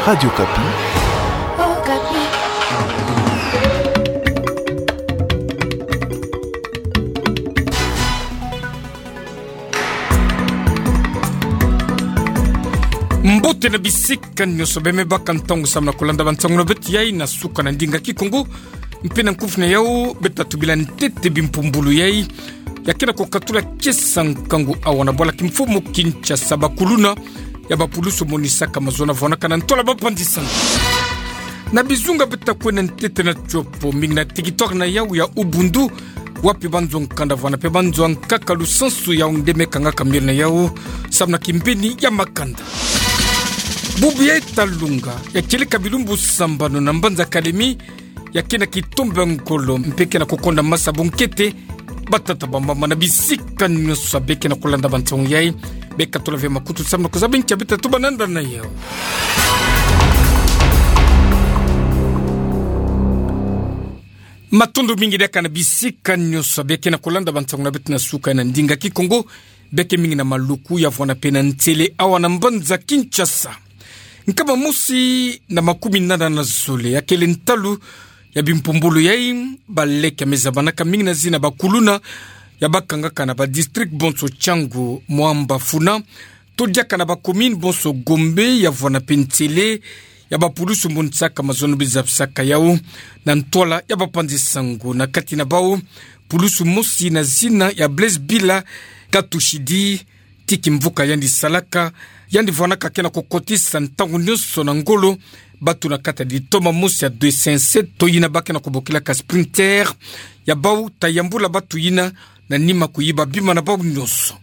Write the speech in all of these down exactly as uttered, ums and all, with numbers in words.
Radio Okapi. Mbote na bisika nyonso, bembe baka ntangu samu na kolanda bansangu na beto yai na suka na ndinga Kikongo. Mpe na nkufi na yau, beta tubila ntete bimpumbulu yai ya kena kokatula kiesa nkangu awa na bwala kimfumu Kinshasa. Bakuluna ya bapulusu monisaka mazono vwanaka na ntwala bapanzi-nsangu. Na bizunga beta kwenda ntete na tiopo, mingi na territoire na yau ya Ubundu, wapi banzo nkanda vwana mpe banzo ankaka lusansu yau nde me kangaka miole na yau samu na kimbeni ya makanda. Bubu ya etalunga ya kieleka bilumbu sambanu na mbanza Kalemi, ya kena kitombe ngolo mpe kena kokonda masa bunkete. Batata, bamama na bisika nyonso abe kena kolanda bansangu yai, bekatula ve makutu samu na kuzaba nkia beta tuba nanda na yau. Matondo mingi diaka na bisika nyonso abe kena kolanda bansangu na beto na suka na ndinga Kikongo. Beke mingi na maluku ya vwana mpe na ntele awa na mbanza Kinshasa. Nkama mosi na makumi nana na zole ya kele ntalu ya bimpumbulu yai baleke ya me zabanaka, mingi na zina bakuluna ya bakangaka na badistrict bonso Tshangu, Mwamba, Funa, to diaka na bacommune bonso Gombe ya vwana mpe ntele ya bapulusu monisaka mazono bizabisaka yau na ntwala ya bapanzi-nsangu. Na kati na bau, pulusu mosi na zina ya Blaise Bila Katushidi, ti kimvuka yandi salaka, yandi vwanaka kena kokotisa ntangu nyonso na ngolo batu na kati ya litoma mosi ya deux cent sept, to yina ba kena kobokilaka Sprinter, ya bau ta yambula batu yina na nima kuyiba bima na bau nyonso.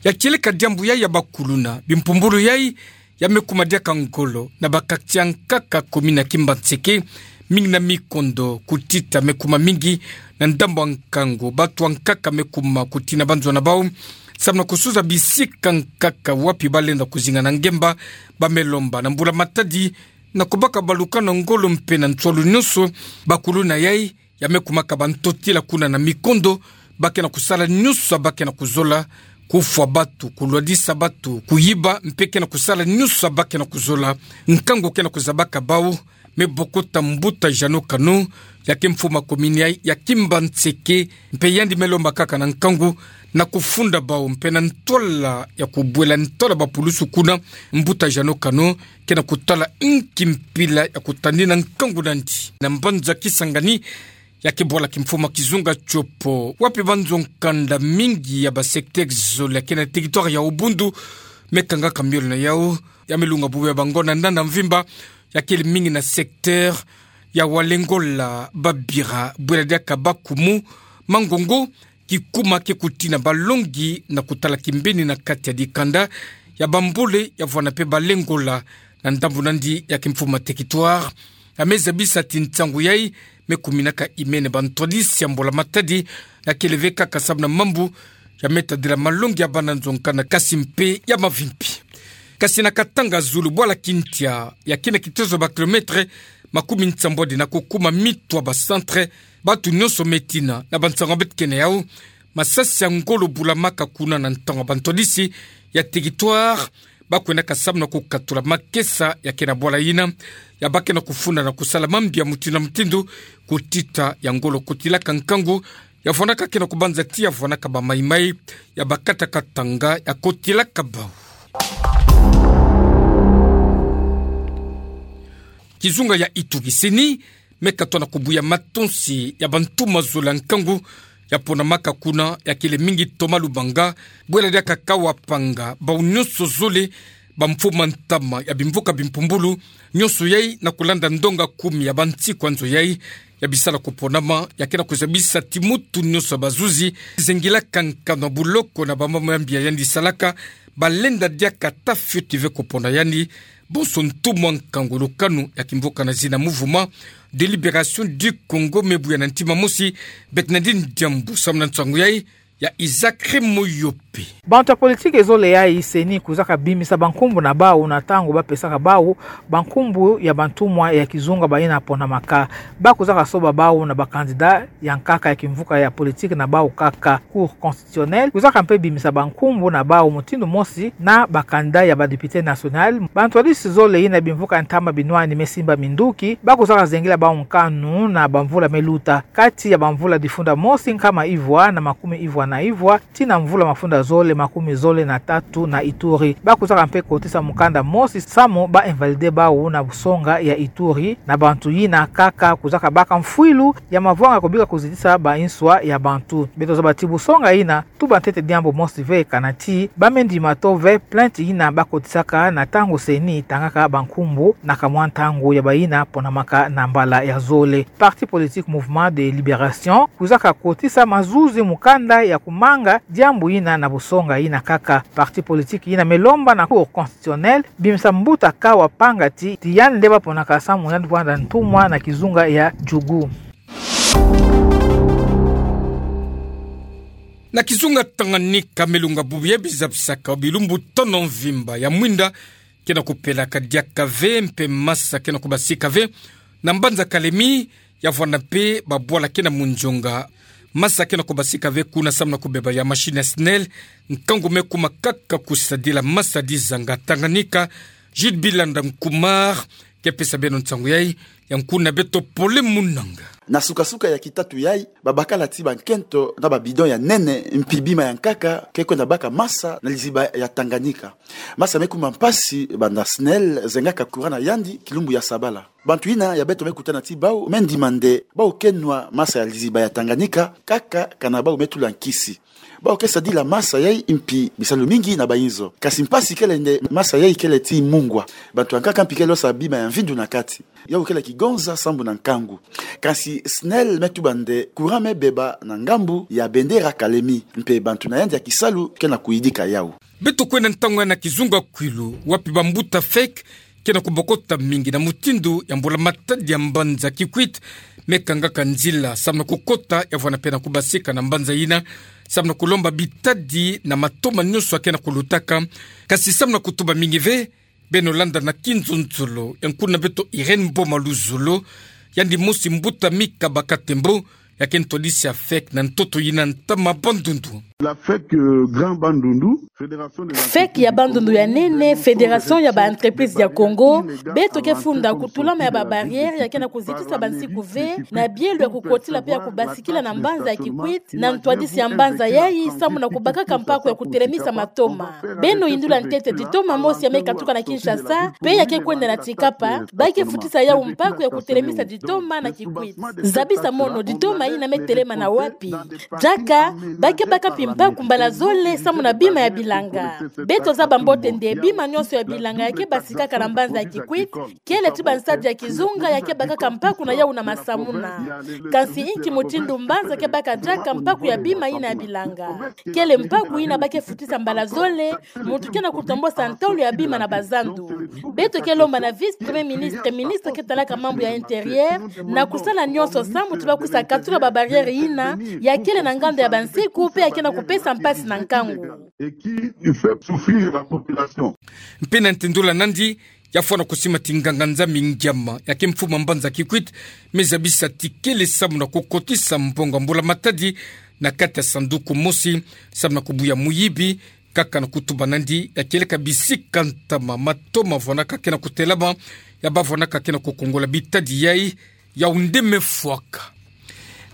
Ya kieleka diambu yai ya bakuluna, bimpumbulu yai ya me kuma diaka ngolo na ba quartier ankaka commune ya Kimbanseke, mingi na mikondo, kutita me kuma mingi na ndambu ya nkangu, batu ankaka me kuma kutina banzo na bau samu na kusuza bisika ankaka wapi balenda kuzinga na ngemba. Ba me lomba na mbula-matadi na kubaka baluka na ngolo mpe na nswalu nyonso bakuluna yai ya me kumaka bantotila kuna na mikondo, ba kena kusala nyonso ba kena kuzola, kufwa batu, kulwadisa batu, kuyiba, mpe kena kusala nyonso ba kena kuzola. Nkangu kena kuzabaka bau, me bokota mbuta Jeannot Kano, ya ke mfumu ya commune yai ya Kimbanseke, mpe yandi me lomba kaka na nkangu na kufunda bau mpe na ntwala ya kubwela ntwala bapulusu kuna. Mbuta Jeannot Kano kena kutala nki mpila ya kutani na nkangu nandi. Na mbanza Kisangani, ya ke bwala kimfumu ya kizunga tiopo, wapi banzo nkanda mingi ya basecteur zole ya kena territoire ya Ubundu me kangaka miole na yau, ya me lunga bubu ya bangonda na mvimba, ya kele mingi na secteur ya Walengola, Babira, bwela diaka Bakumu, Mangongo, kikuma ke kutina balongi na kutala kimbeni na kati ya dikanda ya Bambole ya vwana mpe Balengola. Na ndambu nandi ya ke mfumu ya territoire, ya me zabisa ti nsangu yai me kuminaka imene bantwadisi ya mbula-matadi, ya kele ve kaka samu na mambu ya me tadila malongi ya bana nzo nkanda, kasi mpe ya mavimpi. Kasi na Katanga zulu, bwala Kintia, ya kena kitezo ba kilomètre makumi nsambwadi na kukuma mitwa ba centre, batu nyonso me tina. Na bansangu beto ke na yau, masasi ya ngolo bulamaka kuna na ntangu ya bantwadisi ya territoire ba kwendaka samu na kukatula makesa ya kena bwala yina, ya ba kena kufunda na kusala mambi ya mutindu na mutindu, kutita ya ngolo kotilaka nkangu, ya vwanaka kena kubanza ti ya vwanaka ba maimai, ya ba kata katanga ya kotilaka bau. Kizunga ya Ituri, CENI me katoa na kubuya matonsi ya bantu mazola nkangu ya ponamaka kuna, ya kele mingi toma lubanga, bwela diaka kawa panga bau nyonso zole, bamfumu ntama ya bimvuka bimpumbulu, nyonso yai na kulanda ndonga kumi ya bansiku ya nzo yai ya bisala kuponama, ya kena kuzabisa ti mutu nyonso ya bazuzi zengilaka nkanu ya buloko na bamambu ya mbi ya yandi salaka, balenda diaka ta fioti ve kupona yandi. Bonso ntumwa nkangu ya lukanu ya kimvuka na zina Mouvement de Libération du Congo me buya na ntima mosi. Beto nandi diambu samu na nsangu yai ya Isaac Remoyope. wapi? Bantu ya politiki zole yayi CENI kwizaka bimisa bankumbu na bawu na ntangu bapesaka bawu bankumbu ya bantumwa ya kizunga bayina ponamaka. Bakwizaka soba bawu na ba candidat ya nkaka ya kimvuka ya politiki na bawu kaka. Cour constitutionnelle kwizaka mpe bimisa bankumbu na bawu mutindu mosi na ba candidat ya ba député national. Bantu ntwadisi zole yina bimvuka ntama binwani me simba minduki, bakwizaka zengila bawu nkanu na bamvula me luta, kati ya bamvula difunda mosi nkama ivwa na makumi ivwa na ivwa, tii na mvula mafunda zole makumi zole na tatu na Ituri. Bakwizaka mpe kotisa mukanda mosi samu ba invalider bawu na busonga ya Ituri, na bantu yina kaka kwizaka baka mfwilu ya mavwanga ko bika kuzitisa ba nswa ya bantu. Beto zaba ti busonga yina, tuba ntete diambu mosi ve kana ti ba me ndima to ve plainte yina bakotisaka na ntangu CENI tangaka bankumbu na kamwa ntangu ya bayina ponamaka na mbala ya zole. Parti politique Mouvement de Libération kwizaka kotisa mazuzi mukanda ya kumanga diambu yina na busonga yina kaka. Parti politique yina me lomba na Cour constitutionnelle bimisa mbuta Kawa Pangati ti yandi nde baponaka samu yandi kwenda ntumwa na kizunga ya Djugu. Na kizunga Tanganyika, milunga bubu ya bizabisaka bilumbu tono mvimba ya mwinda ke na kupelaka diaka ve mpe masa ke na kubasika ve na mbanza Kalemi, ya vwanda mpe babwala ke na Mondjonga. Masa ke na kubasika ve kuna samu na kubeba ya machine ya SNEL. Nkangu me kuma kaka kusadila masa dizanga Tanganyika. Jude Bilanda Nkumar ke pesa beno nsangu yayi, ya nkuna beto Pole Munanga. Na sukasuka ya kitatu yayi, babakala ti bankento na ba bidon ya nene mpi bima ya nkaka ke kwenda baka masa na liziba ya Tanganyika. Masa me kuma mpasi banda SNEL zengaka courant na yandi kilumbu ya sabala. Bantu yina ya beto me kutana ti bawu me ndima nde bawu ke nwa masa ya liziba ya Tanganyika kaka kana bawu me tula nkisi. Bawu ke sadila masa yayi mpi bisalu mingi na bayinzo. Kasi mpasi kele nde masa yayi kele ti mungwa. Bantu ya nkaka mpi kele losa bima ya mvindu na kati. Yawu kele kigonza sambu na nkangu. Kasi SNEL me tuba nde courant me beba na ngambu ya bendera Kalemi, mpe bantu na yandi ya kisalu ke na kuyidika yawu. Beto kwenda ntangu ya na kizunga Kwilu, wapi bambuta FEC ke na kubokota mingi na mutindu ya mbula matadi ya mbanza Kikwit me kangaka nzila samu na kukota, ya vwanda mpe na kubasika na mbanza yina samu na kulomba bitadi na matoma nyonso ya ke na kulutaka. Kasi samu na kutuba mingi ve, beno landa na kinzonzolo ya nkuna beto Irène Boma Luzolo, yandi mosi mbuta mika baka tembo, ya ke ntwadisi ya FEC na ntoto yina ntama Bandundu. La FEC, euh, Grand Bandundu, Fédération des FEC ya Bandundu ya nene, Fédération ya ba entreprise ya Congo, beto ke funda kutulama ya ba barrière ya ke na kuzitisa bansiku ve na bielo ya kukotila mpe ya kubasikila na mbanza ya Kikwit, na ntwadisi ya mbanza yayi samu na kubakaka mpaku ya kutelemisa matoma. Beno yindula ntete ditoma mosi ya me katuka na Kinshasa, mpe ya ke kwenda na Tshikapa, ba ke futisa yawu mpaku ya kutelemisa ditoma na Kikwit. Zabisa mono, ditoma yina me telema na wapi? Diaka, ba ke baka mpi mpaku mbala zole samu na bima ya bilanga. Beto zaba mbote nde bima nyonso ya bilanga ya ke basikaka na mbanza ya Kikwit kele ti bansadi ya kizunga ya ke bakaka mpaku na yawu na masamuna. Kasi inki mutindu mbanza ke baka diaka mpaku ya bima yina ya bilanga? Kele mpaku yina ba ke futisa mbala zole muntu ke na kutombosa ntolo ya bima na bazandu. Beto ke lomba na vice-premier ministre, ministre ke talaka mambu ya intérieur, na kusala nyonso samu ti ba kusa katula ba barrière yina ya kele na nganda ya bansiku mpe ya ke na kupesa mpasi na nkangu. Et qui fait souffrir la population. Mpe na ntindula nandi, ya fwana kusima ti nganga Nzambi Ngiama, ya ke mfumu a mbanza Kikwit, me zabisa ti kele samu na kukotisa mbongo ya mbula matadi na kati ya sanduku mosi, samu na kubuya muyibi, kaka na kutuba nandi, ya kieleka bisika ntama matoma vwanaka ke na kutelama, ya ba vwanaka ke na kukongola bitadi yayi, yawu nde me fwaka.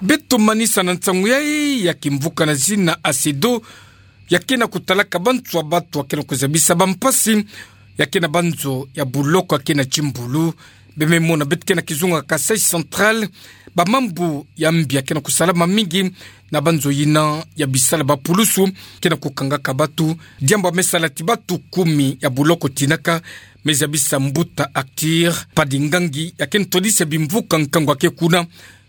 Beto manisa na nsangu yayi ya kimvuka na zina ACEDO, ya ke na kutalaka bantu ya batu ya ke na kuzabisa bampasi, ya ke na banzo ya buloko ya ke na timbulu. Beno me mona beto ke na kizunga Kasaï Central, bamambu ya mbi ya ke na kusalama mingi na banzo yina ya bisala, bapulusu ke na kukangaka batu, diambu ya me sala ti batu kumi ya buloko tinaka, me zabisa mbuta Arthur Padingangi, ya ke ntwadisi ya bimvuka nkangu ya ke kuna,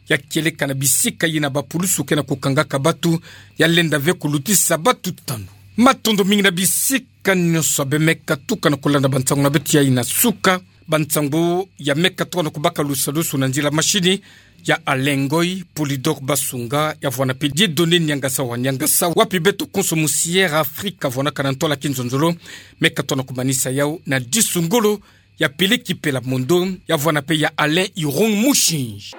ya kieleka na bisika yina bapulusu ke na kukangaka batu, ya lenda ve kulutisa batu tanu. Matondo mingi na bisika nyonso beno me katuka na kulanda bansangu na beto yayi na suka. Ba nsang'o ya me ka tona kubaka lusalusu na nzila mashini, ya Alain Ngoy, Polydor Basunga, ya vwanape Dieudonné Niangasa wa Niangasa, wapi beto konso mu Sierra Afrika, vwanakana ntwala ki nzonzolo, me ka tona kumanisa yau na disu ngolo, ya Peleki Pelamondo, ya vwanape ya Alain Irung Mushi.